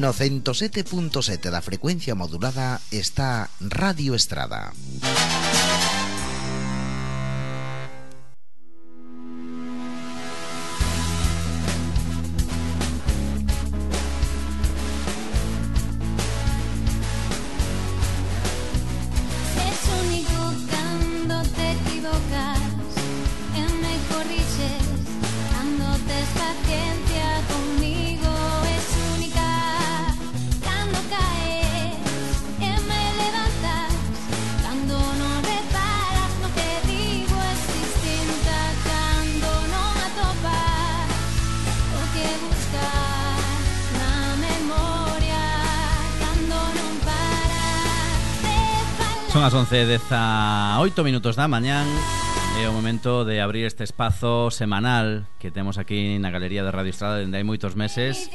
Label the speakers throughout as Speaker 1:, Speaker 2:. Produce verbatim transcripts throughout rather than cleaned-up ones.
Speaker 1: No ciento sete punto sete da frecuencia modulada está Radio Estrada.
Speaker 2: Son as once e dezaoito minutos da mañán. É o momento de abrir este espazo semanal que temos aquí na Galería de Radio Estrada dende hai moitos meses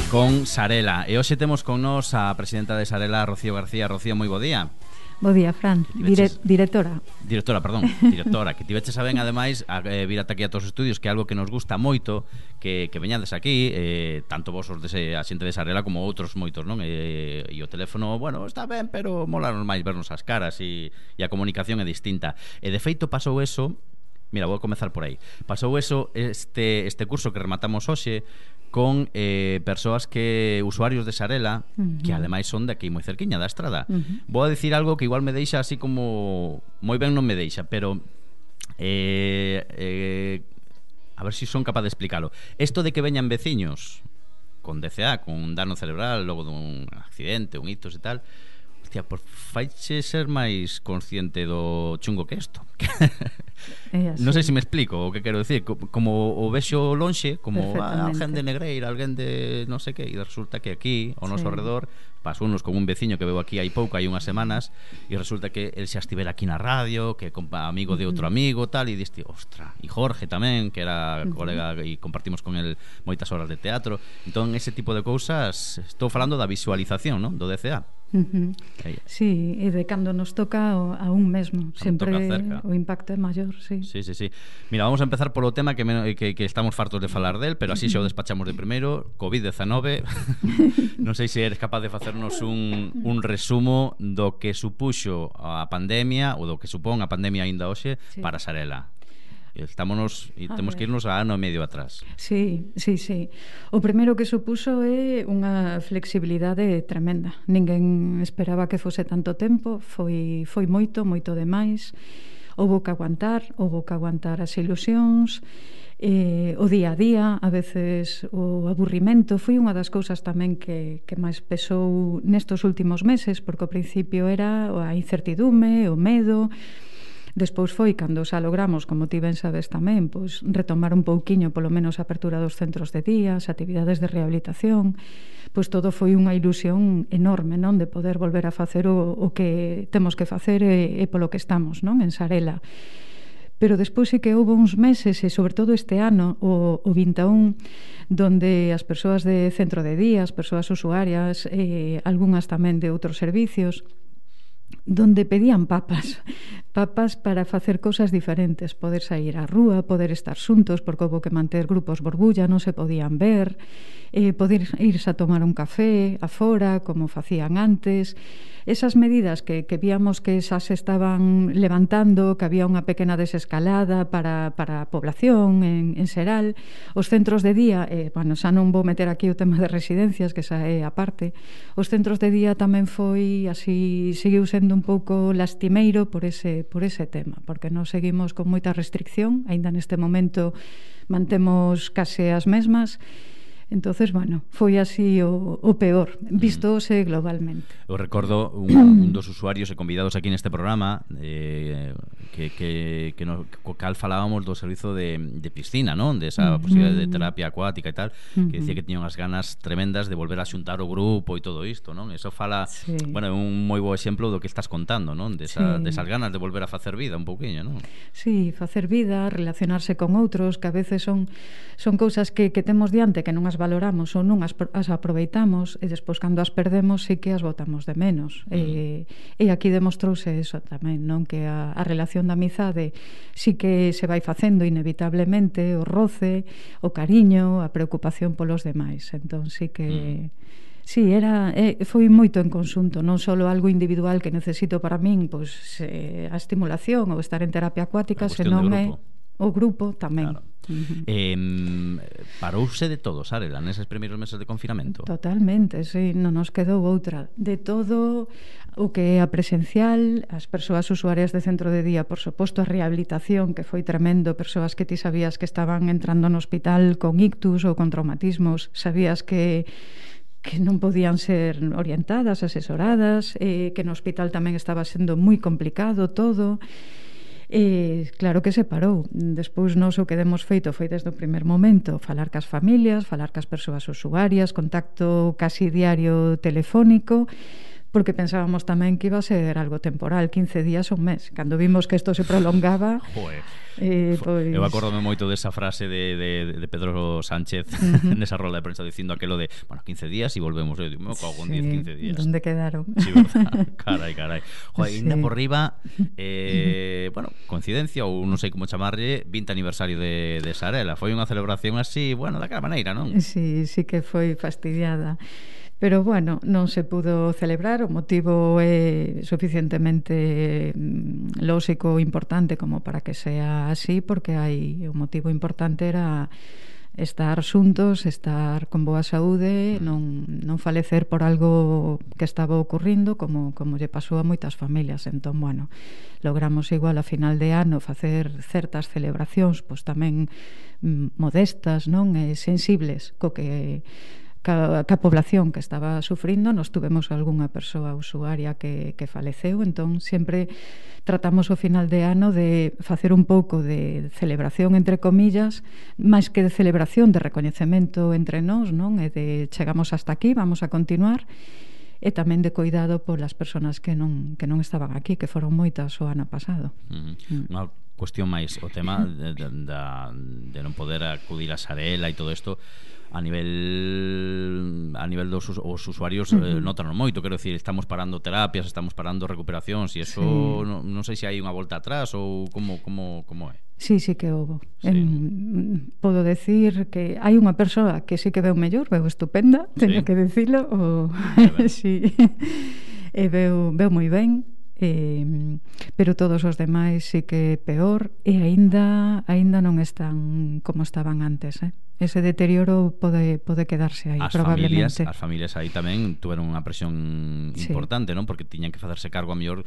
Speaker 2: con Sarela. E hoxe temos con nos a presidenta de Sarela, Rocío García. Rocío, moi bo día.
Speaker 3: Bo día, Fran, Dire, directora
Speaker 2: Directora, perdón, directora Que tiveches a ben, ademais, a eh, vir ata aquí a todos os estudios, que é algo que nos gusta moito, Que, que veñades aquí, eh, tanto vos os de, a xente de Sarela como outros moitos, non? E, e o teléfono, bueno, está ben, pero molanos máis vernos as caras, e, e a comunicación é distinta. E de feito pasou eso. Mira, vou comezar por aí. Pasou eso este, este curso que rematamos hoxe con eh, persoas que usuarios de Sarela, uh-huh. que ademais son de aquí moi cerquiña da Estrada. Uh-huh. Vou a dicir algo que igual me deixa así como moi ben non me deixa, pero eh, eh, a ver se si son capaz de explicarlo. Isto de que veñan veciños con D C A, con un dano cerebral logo dun accidente, un ictus e tal, hostia, por faiche ser máis consciente do chungo que isto. Non sei se me explico o que quero decir. Como o vexo lonxe, como ah, alguén de Negreira, alguén de non sei que, e resulta que aquí, ao noso sí. redor, pasou unos con un veciño que veo aquí hai pouco, hai unhas semanas, e resulta que el xa estivera aquí na radio, que é amigo de outro amigo, tal, e diste, ostra, e Jorge tamén, que era uh-huh. colega, e compartimos con el moitas horas de teatro. Entón, ese tipo de cousas, estou falando da visualización, non? Do D C A.
Speaker 3: Uh-huh. Sí, e de cando nos toca a un mesmo, sempre o impacto é maior, sí.
Speaker 2: Sí, sí, sí. Mira, vamos a empezar polo tema que, me, que, que estamos fartos de falar del, pero así xa o despachamos de primeiro. covid dezenove. Non sei se eres capaz de facernos un, un resumo do que supuxo a pandemia, ou do que supón a pandemia aínda hoxe, sí. para Sarela. Estámonos e temos que irnos a ano e medio atrás.
Speaker 3: Sí, sí, sí. O primeiro que supuso é unha flexibilidade tremenda. Ninguén esperaba que fose tanto tempo, foi foi moito, moito demais. Houbo que aguantar, houbo que aguantar as ilusións, eh, o día a día, a veces o aburrimento. Foi unha das cousas tamén que, que máis pesou nestos últimos meses, porque ao principio era a incertidume, o medo. Despois foi cando xa logramos, como ti ben sabes tamén, pois retomar un pouquiño polo menos a apertura dos centros de día, as actividades de rehabilitación. Pois todo foi unha ilusión enorme, non, de poder volver a facer o, o que temos que facer e, e polo que estamos, non, en Sarela. Pero despois sí que houve uns meses, e sobre todo este ano, o, o vinte e un, donde as persoas de centro de día, as persoas usuarias, eh, algunhas tamén de outros servicios, donde pedían papas papas para facer cousas diferentes, poder sair á rúa, poder estar xuntos, porque houve que manter grupos borbulla, non se podían ver, eh, poder irse a tomar un café afora, como facían antes. Esas medidas que, que víamos que xa se estaban levantando, que había unha pequena desescalada para, para a población en, en xeral. Os centros de día, eh, bueno, xa non vou meter aquí o tema de residencias, que xa é aparte. Os centros de día tamén foi así, seguiu sendo un pouco lastimeiro por ese, por ese tema, porque non seguimos con moita restricción, aínda neste momento mantemos case as mesmas. Entonces, bueno, foi así o, o peor, vistóse globalmente.
Speaker 2: Eu recordo un, un dos usuarios e convidados aquí neste programa eh, que, que, que no, co cal falábamos do servizo de, de piscina, non? De esa posibilidade de terapia acuática e tal, que decía que tiña unhas ganas tremendas de volver a xuntar o grupo e todo isto, non? Eso fala, sí. bueno, é un moi bo exemplo do que estás contando, non? Desa, sí. desas ganas de volver a facer vida un pouquiño, non?
Speaker 3: Sí, facer vida, relacionarse con outros, que a veces son, son cousas que, que temos diante, que non as as valoramos ou non as, as aproveitamos, e despois cando as perdemos sí que as botamos de menos. Uh-huh. E, e aquí demostrouse eso tamén, non? Que a, a relación da amizade sí que se vai facendo inevitablemente, o roce, o cariño, a preocupación polos demais. Entón sí que... Uh-huh. Sí, era, eh, foi moito en conxunto, non só algo individual que necesito para min, pois eh, a estimulación ou estar en terapia acuática, senón é o grupo tamén.
Speaker 2: Claro. Uh-huh. eh, Parouse de todo, Sarela, neses primeiros meses de confinamento?
Speaker 3: Totalmente, sí, non nos quedou outra. De todo o que é a presencial, as persoas usuarias de centro de día, por suposto, a rehabilitación, que foi tremendo, persoas que ti sabías que estaban entrando no hospital con ictus ou con traumatismos, sabías que que non podían ser orientadas, asesoradas, eh, que no hospital tamén estaba sendo moi complicado todo. E claro que se parou. Despois nós o que demos feito foi desde o primer momento falar cas familias, falar cas persoas usuarias, contacto casi diario telefónico, porque pensábamos tamén que iba a ser algo temporal, quince días ou un mes. Cando vimos que isto se prolongaba...
Speaker 2: Joder.
Speaker 3: Eh, pois...
Speaker 2: Eu acórdome moito desa frase de, de, de Pedro Sánchez uh-huh. nesa rola de prensa dicindo aquelo de, bueno, quince días e volvemos. Eu digo, me cago en
Speaker 3: sí,
Speaker 2: diez, quince días.
Speaker 3: Donde quedaron?
Speaker 2: Sí, verdad. Carai, carai. Joder,
Speaker 3: sí.
Speaker 2: Ainda por riba, eh, bueno, coincidencia ou non sei como chamarlle, vinte aniversario de, de Sarela. Foi unha celebración así, bueno, daquela maneira, non?
Speaker 3: Sí, sí que foi fastidiada. Pero, bueno, non se pudo celebrar. O motivo é suficientemente lóxico, importante como para que sea así, porque hai o motivo importante era estar xuntos, estar con boa saúde, non, non falecer por algo que estaba ocurrindo, como, como lle pasou a moitas familias. Entón, bueno, logramos igual a final de ano facer certas celebracións, pois tamén mm, modestas, non? E sensibles, co que... ca, ca población que estaba sufrindo. Nos tuvemos algunha persoa usuaria que, que faleceu, entón sempre tratamos o final de ano de facer un pouco de celebración, entre comillas, máis que de celebración, de recoñecemento entre nós, non? E de chegamos hasta aquí, vamos a continuar, e tamén de cuidado polas persoas que non, que non estaban aquí, que foron moitas o ano pasado.
Speaker 2: Uh-huh. Mm. Unha cuestión máis, o tema de, de, de, de non poder acudir a Sarela e todo isto, a nivel a nivel dos os usuarios uh-huh. eh, notan moito, quero decir, estamos parando terapias, estamos parando recuperacións, e eso sí. non, non sei se hai unha volta atrás ou como como como é.
Speaker 3: Sí, sí que houve.
Speaker 2: Sí.
Speaker 3: En, podo decir que hai unha persoa que sí que veu mellor, veu estupenda, teño sí. que dicilo, o sí. E veu veu moi ben. Eh, pero todos os demais sí que peor, e aínda aínda non están como estaban antes, eh? Ese deterioro pode, pode quedarse aí,
Speaker 2: as
Speaker 3: probablemente.
Speaker 2: Familias, as familias aí tamén tuveron unha presión importante, sí. non? Porque tiñan que facerse cargo a mellor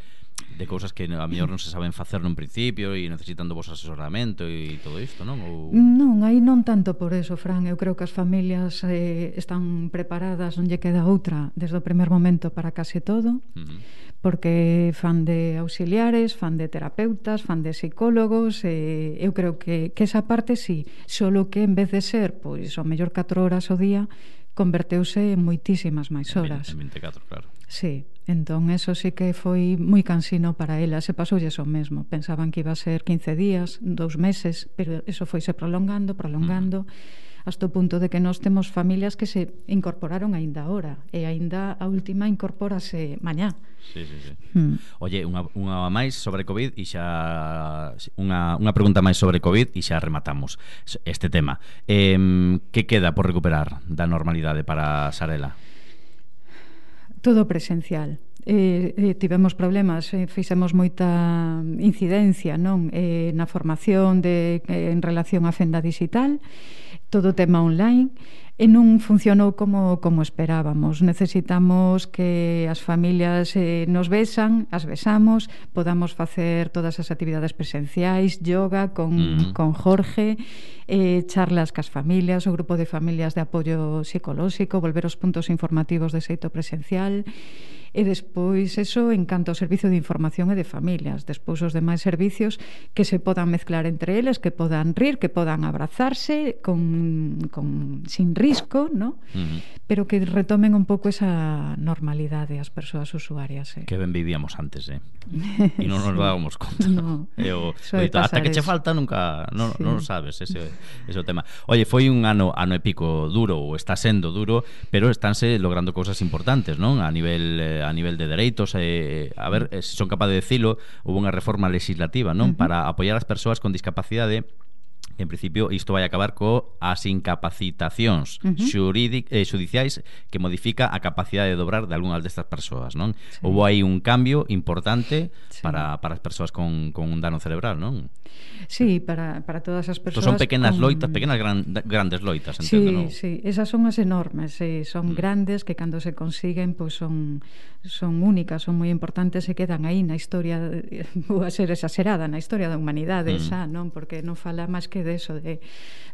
Speaker 2: de cousas que a mellor non se saben facer nun principio e necesitan do vos asesoramento e todo isto, non? Ou...
Speaker 3: Non, aí non tanto por eso, Fran. Eu creo que as familias eh, están preparadas, non lle queda outra desde o primer momento para case todo, uh-huh. porque fan de auxiliares, fan de terapeutas, fan de psicólogos, e eu creo que, que esa parte sí, solo que en vez de ser pois o mellor catro horas ao día, converteuse en moitísimas máis horas.
Speaker 2: En vinte e catro, claro.
Speaker 3: Sí, entón eso sí que foi moi cansino para ela. Se pasoulle eso mesmo, pensaban que iba a ser quince días, dous meses, pero eso foise prolongando, prolongando, mm. hasta o punto de que nós temos familias que se incorporaron aínda ahora, e aínda a última incorpórase mañá.
Speaker 2: Sí, sí, sí.
Speaker 3: Hmm.
Speaker 2: Oye, unha, unha máis sobre COVID e xa unha, unha pregunta máis sobre COVID e xa rematamos este tema. Eh, que queda por recuperar da normalidade para Sarela?
Speaker 3: Todo presencial. Eh, eh, tivemos problemas, eh, fixemos moita incidencia, non, eh, na formación de, eh, en relación á fenda digital, todo tema online, e non funcionou como, como esperábamos. Necesitamos que as familias eh, nos besan, as besamos, podamos facer todas as actividades presenciais, yoga con, mm. con Jorge, eh, charlas cas familias, o grupo de familias de apoio psicolóxico, volver aos puntos informativos de xeito presencial. E despois eso en canto ao servicio de información e de familias. Despois os demais servicios que se podan mezclar entre eles, que podan rir, que podan abrazarse con, con sin risco, ¿no? Uh-huh. Pero que retomen un pouco esa normalidade as persoas usuarias. Eh?
Speaker 2: Que ben vivíamos antes, eh? E non nos
Speaker 3: sí.
Speaker 2: dábamos conta.
Speaker 3: No,
Speaker 2: e o, o dito, hasta que che falta nunca non,
Speaker 3: sí.
Speaker 2: non sabes ese, ese o tema. Oye, foi un ano ano e pico duro, ou está sendo duro, pero estánse logrando cousas importantes, non? A nivel eh, a nivel de dereitos, eh, a ver, eh, se son capaz de decilo, houve unha reforma legislativa, non? Uh-huh. Para apoiar as persoas con discapacidade. En principio, isto vai acabar co as incapacitacións uh-huh. xuridic, eh, judiciais que modifica a capacidade de dobrar de algunhas destas persoas, non? Sí. Houve aí un cambio importante sí. para, para as persoas con, con un dano cerebral, non?
Speaker 3: Sí, para, para todas as persoas.
Speaker 2: Entón son pequenas
Speaker 3: con...
Speaker 2: loitas, pequenas gran, grandes loitas, entendo,
Speaker 3: sí,
Speaker 2: non?
Speaker 3: Sí, esas son as enormes, sí, son mm. grandes que cando se consiguen, pois pues son son únicas, son moi importantes e quedan aí na historia, vou a ser exagerada, na historia da humanidade, mm. xa, non? Porque non fala máis que de eso, de,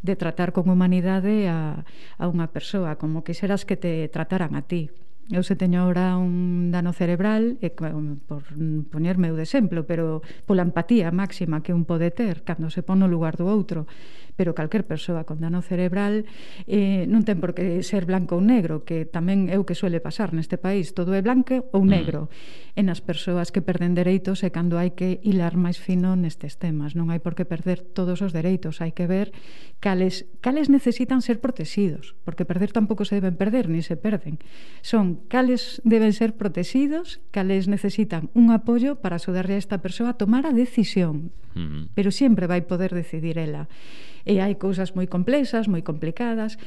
Speaker 3: de tratar con humanidade a, a unha persoa, como quixeras que te trataran a ti. Eu se teño ahora un dano cerebral, e, por poñerme o de exemplo, pero pola empatía máxima que un pode ter cando se pon no lugar do outro, pero calquer persoa con dano cerebral eh, non ten por que ser blanco ou negro, que tamén é o que suele pasar neste país, todo é blanco ou negro. Mm. E nas persoas que perden dereitos é cando hai que hilar máis fino nestes temas, non hai por que perder todos os dereitos, hai que ver cales, cales necesitan ser protegidos, porque perder tampouco se deben perder, ni se perden. Son cales deben ser protegidos, cales necesitan un apoio para axudarle a esta persoa a tomar a decisión, uh-huh. pero sempre vai poder decidir ela. E hai cousas moi complexas, moi complicadas,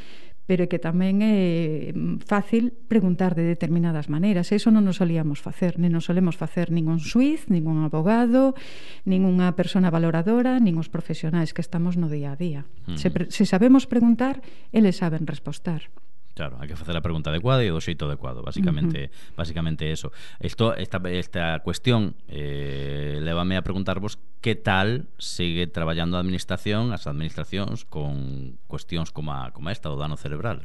Speaker 3: pero que tamén é fácil preguntar de determinadas maneiras. Eso non nos solíamos facer, nin nos solemos facer ningún xuiz, ningún abogado, ninguna persona valoradora, nin os profesionais que estamos no día a día. Uh-huh. Se, se sabemos preguntar, eles saben respostar.
Speaker 2: Claro, hai que facer a pregunta adecuada e do xeito adecuado, basicamente, uh-huh. basicamente eso. Isto, esta, esta cuestión eh, lévame a preguntarvos que tal sigue traballando a administración, as administracións con cuestións como, a, como esta, o dano cerebral.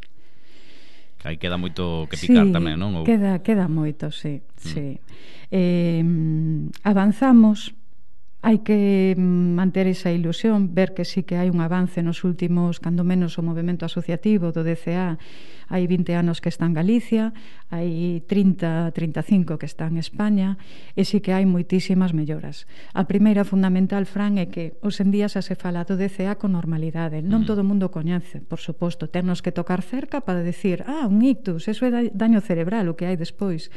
Speaker 2: Que aí queda moito que picar
Speaker 3: sí,
Speaker 2: tamén, non? Ou...
Speaker 3: queda, queda moito, sí, mm. sí. Eh, avanzamos. Hai que manter esa ilusión, ver que sí que hai un avance nos últimos, cando menos o movemento asociativo do D C A, hai vinte anos que está en Galicia, hai trinta, trinta e cinco que está en España, e sí que hai moitísimas melloras. A primeira fundamental, Fran, é que hoxe en día xa se fala do D C A con normalidade. Non todo o mundo coñece, por suposto, ternos que tocar cerca para decir, ah, un ictus, eso é daño cerebral, o que hai despois.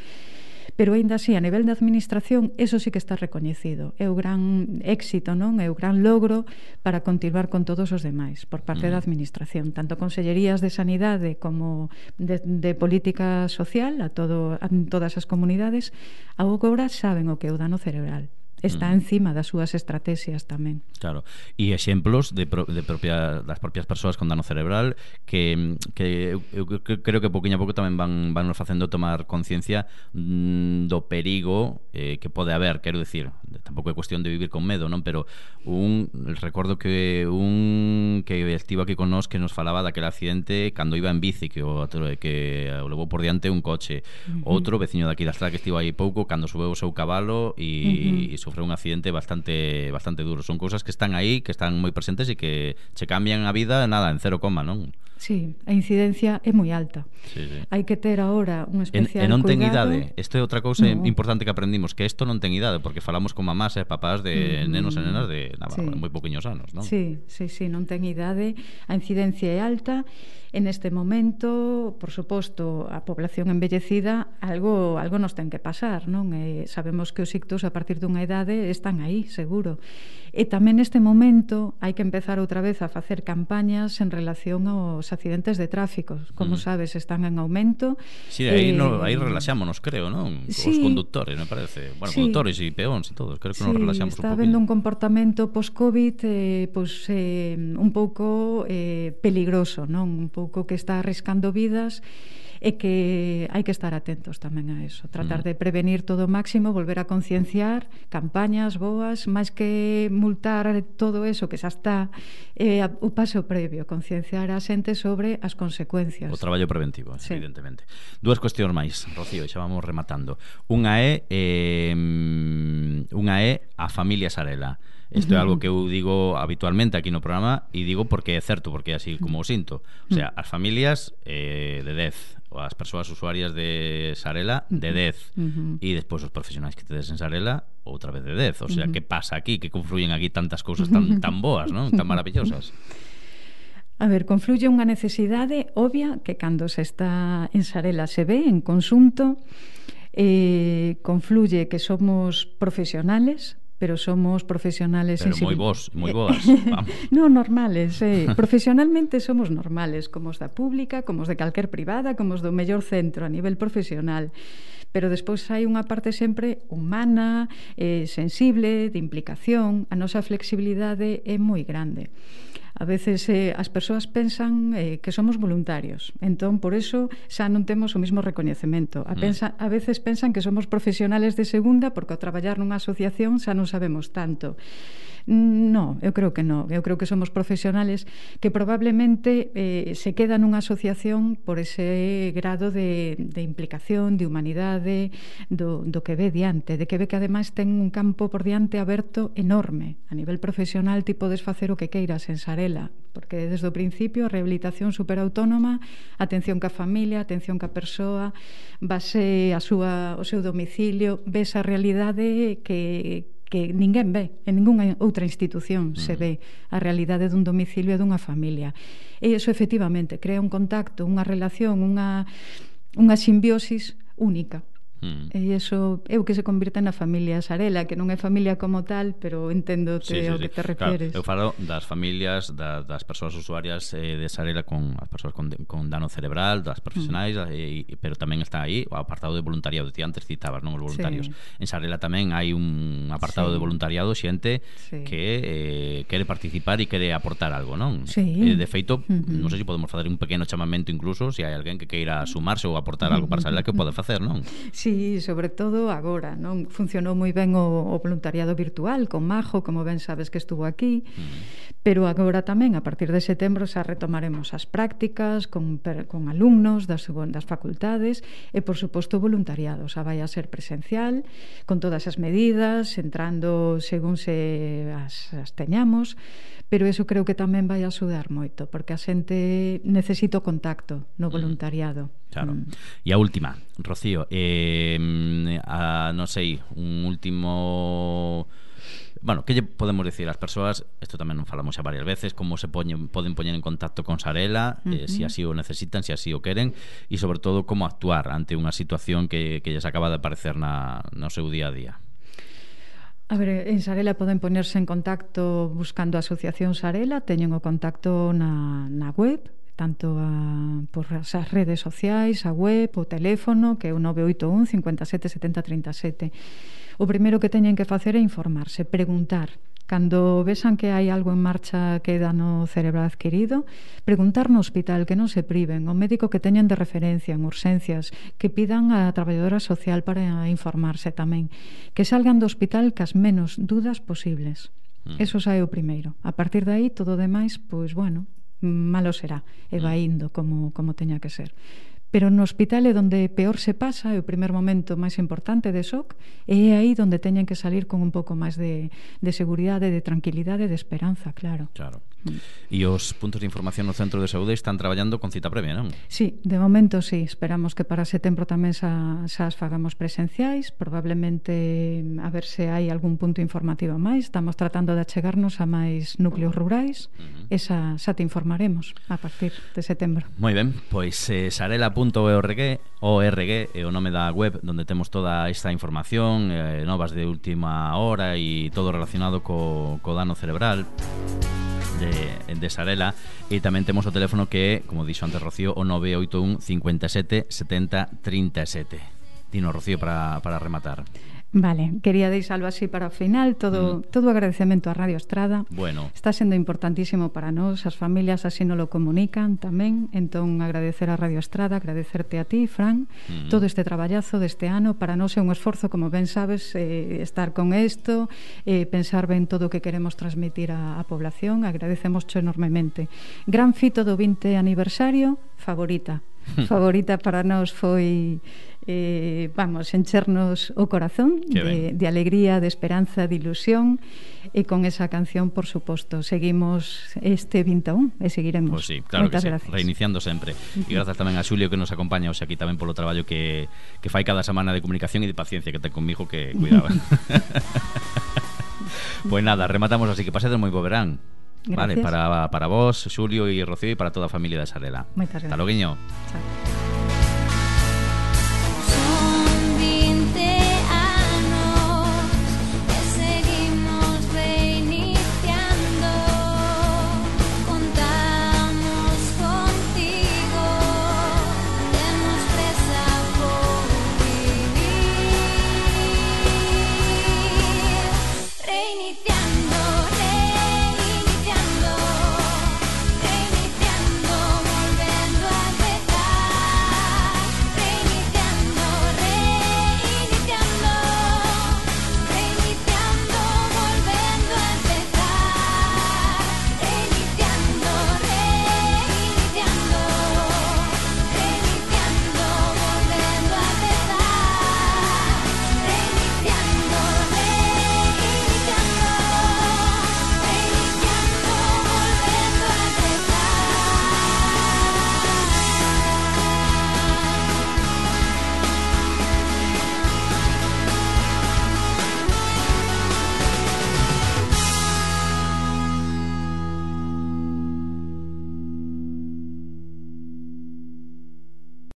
Speaker 3: Pero aínda así, a nivel de administración, eso sí que está recoñecido. É o gran éxito, non? É o gran logro para continuar con todos os demais por parte mm. da administración, tanto consellerías de sanidade como de, de política social a, todo, a todas as comunidades, agora saben o que é o dano cerebral. Está mm. encima das súas estrategias tamén.
Speaker 2: Claro, e exemplos de, pro, de propia, das propias persoas con dano cerebral que, que eu, eu creo que pouquinho a pouco tamén van, van nos facendo tomar conciencia mm, do perigo eh, que pode haber, quero decir, tampouco é cuestión de vivir con medo, non? Pero un recordo que un que estivo aquí con nós que nos falaba daquele accidente cando iba en bici que o, que o levou por diante un coche. Uh-huh. Outro veciño daqui da estrada que estivo aí pouco cando subeu o seu cabalo e, uh-huh. e sofreu un accidente bastante bastante duro. Son cousas que están aí, que están moi presentes e que che cambian a vida nada, en cero coma, non?
Speaker 3: Sí, a incidencia é moi alta. Sí, sí. Hai que ter agora un especial
Speaker 2: cuidado. E non ten
Speaker 3: cuidado.
Speaker 2: idade. Isto é outra cousa
Speaker 3: no.
Speaker 2: importante que aprendimos, que isto non ten idade, porque falamos con mamás e papás de mm. nenos e nenas de nada, sí. moi poquinhos anos, non?
Speaker 3: Sí, sí, sí, non ten idade. A incidencia é alta. En este momento, por suposto, a población envellecida algo algo nos ten que pasar, non? E sabemos que os ictus a partir dunha idade están aí, seguro. E tamén neste momento hai que empezar outra vez a facer campañas en relación aos accidentes de tráfico. Como mm. sabes, están en aumento.
Speaker 2: Sí, aí, eh, no, aí relaxámonos, creo, non? Sí, os conductores, me parece. Bueno, sí. conductores e peóns e todos, creo que sí, nos relaxamos un pouco.
Speaker 3: Está habendo un comportamento post-COVID eh, pues, eh, un pouco eh, peligroso, non? Un pouco que está arriscando vidas e que hai que estar atentos tamén a eso, tratar
Speaker 2: Mm.
Speaker 3: de prevenir todo o máximo, volver a concienciar, campañas boas, máis que multar todo eso que xa está, eh, o paso previo, concienciar a xente sobre as consecuencias.
Speaker 2: O traballo preventivo,
Speaker 3: Sí.
Speaker 2: evidentemente. Dúas cuestións máis, Rocío, xa vamos rematando. Unha é eh, unha é a familia Sarela. Isto é algo que eu digo habitualmente aquí no programa e digo porque é certo, porque é así como o sinto. O sea, as familias eh, de dez, ou as persoas usuarias de Sarela de dez,
Speaker 3: Uh-huh.
Speaker 2: e despois os profesionais que tedes en Sarela outra vez de dez. O sea, uh-huh. que pasa aquí? Que confluyen aquí tantas cousas tan, tan boas, non? Tan maravillosas.
Speaker 3: A ver, confluye unha necesidade obvia que cando se está en Sarela se ve en conxunto, eh, confluye que somos profesionales, pero somos profesionales
Speaker 2: Pero moi
Speaker 3: sensibil-
Speaker 2: vos, moi boas, vamos.
Speaker 3: No, normales, eh. Profesionalmente somos normales, como os da pública, como os de calquer privada, como os do mellor centro a nivel profesional. Pero despois hai unha parte sempre humana, eh, sensible, de implicación. A nosa flexibilidade é moi grande. A veces eh, as persoas pensan eh, que somos voluntarios, entón por eso xa non temos o mismo recoñecemento. A, pensa, a veces pensan que somos profesionales de segunda porque ao traballar nunha asociación xa non sabemos tanto. No, eu creo que non. Eu creo que somos profesionales que probablemente eh, se quedan nunha asociación por ese grado de, de implicación, de humanidade, do, do que ve diante, de que ve que ademais ten un campo por diante aberto enorme. A nivel profesional ti podes facer o que queiras en Sarela, porque desde o principio a rehabilitación superautónoma, atención ca familia, atención ca persoa, base a súa, o seu domicilio, ves a realidade que que ninguén ve, en ningunha outra institución se ve a realidade dun domicilio e dunha familia. E iso efectivamente crea un contacto, unha relación, unha, unha simbiosis única.
Speaker 2: Mm.
Speaker 3: E iso é o que se convirte na familia Sarela, que non é familia como tal, pero enténdote
Speaker 2: Sí, sí,
Speaker 3: ao
Speaker 2: sí.
Speaker 3: que te refieres.
Speaker 2: Claro, eu falo das familias, da, das persoas usuarias eh, de Sarela con as persoas con, con dano cerebral, das profesionais, mm. e, pero tamén está aí o apartado de voluntariado. Ti antes citabas, non, os voluntarios. Sí. En Sarela tamén hai un apartado sí. de voluntariado, xente sí. que eh, quere participar e quere aportar algo, non?
Speaker 3: Sí.
Speaker 2: E, de feito,
Speaker 3: uh-huh.
Speaker 2: non sei se podemos facer un pequeno chamamento incluso se hai alguén que queira sumarse ou aportar algo para Sarela que pode facer, non?
Speaker 3: Sí, sobre todo agora, non? Funcionou moi ben o, o voluntariado virtual con Majo, como ben sabes que estuvo aquí, mm. pero agora tamén, a partir de setembro, xa retomaremos as prácticas con, con alumnos das, das facultades e, por suposto, voluntariado. Xa vai a ser presencial, con todas as medidas, entrando según se as, as teñamos, pero eso creo que tamén vai a axudar moito, porque a xente necesita o contacto no voluntariado.
Speaker 2: Claro.
Speaker 3: Mm.
Speaker 2: E a última, Rocío, eh, a, non sei, un último... Bueno, que lle podemos dicir ás persoas, isto tamén non falamos xa varias veces, como se poñen, poden poñer en contacto con Sarela, uh-huh. eh, se así o necesitan, se así o queren, e sobre todo como actuar ante unha situación que, que lles acaba de aparecer na, no seu día a día.
Speaker 3: A ver, en Sarela poden ponerse en contacto buscando a Asociación Sarela, teñen o contacto na, na web, tanto a, por as redes sociais, a web, o teléfono, que é o nove oito un, cinco sete, sete zero tres sete. O primeiro que teñen que facer é informarse, preguntar. Cando vexan que hai algo en marcha que é dano cerebral adquirido, preguntar no hospital, que non se priven, o médico que teñen de referencia en urxencias, que pidan a traballadora social para informarse tamén, que salgan do hospital cas menos dudas posibles. Mm. Eso xa é o primeiro. A partir de aí, todo o demais, pois bueno, malo será, e vai indo como, como teña que ser. Pero no hospital é onde peor se pasa, é o primer momento máis importante de shock, e é aí onde teñen que salir con un pouco máis de, de seguridade, de tranquilidade, de esperanza, claro.
Speaker 2: Claro. Mm. E os puntos de información no centro de saúde están traballando con cita previa, non?
Speaker 3: Sí, de momento sí. Esperamos que para setembro tamén xa, xa as fagamos presenciais, probablemente a ver se hai algún punto informativo máis. Estamos tratando de achegarnos a máis núcleos rurais, uh-huh. e xa, xa te informaremos a partir de setembro.
Speaker 2: Moi ben, pois eh, sarela punto org org é o nome da web onde temos toda esta información, eh, novas de última hora e todo relacionado co, co dano cerebral de, de Sarela, e tamén temos o teléfono que é, como dixo antes Rocío, o nove oito un, cinco sete, sete zero tres sete. Dino, Rocío, para, para rematar.
Speaker 3: Vale, quería deixalo así para o final. Todo, mm. todo agradecemento a Radio Estrada.
Speaker 2: Bueno.
Speaker 3: Está sendo importantísimo para nós. As familias así nos lo comunican tamén. Entón, agradecer a Radio Estrada, agradecerte a ti, Fran, mm. todo este traballazo deste ano. Para nós é un esforzo, como ben sabes, eh, estar con isto, eh, pensar ben todo o que queremos transmitir á, a población. Agradecemos enormemente. Gran fito do vinte aniversario, favorita. Favorita para nós foi... Eh, vamos, enchernos o corazón de, de alegría, de esperanza, de ilusión, e con esa canción, por suposto, seguimos este vinte e un e seguiremos.
Speaker 2: Pues sí, claro.
Speaker 3: Moitas
Speaker 2: que sí,
Speaker 3: gracias.
Speaker 2: Reiniciando sempre. E grazas tamén a Xulio que nos acompaña hoxe aquí tamén polo traballo que, que fai cada semana de comunicación e de paciencia que ten conmigo, que cuidaba. Pois nada, rematamos así, que pasedes moi bo verán.
Speaker 3: Gracias.
Speaker 2: Vale, para, para vos, Xulio e Rocío, e para toda a familia de Sarela.
Speaker 3: Moitas gracias.
Speaker 2: Hasta loguiño.
Speaker 3: Chao.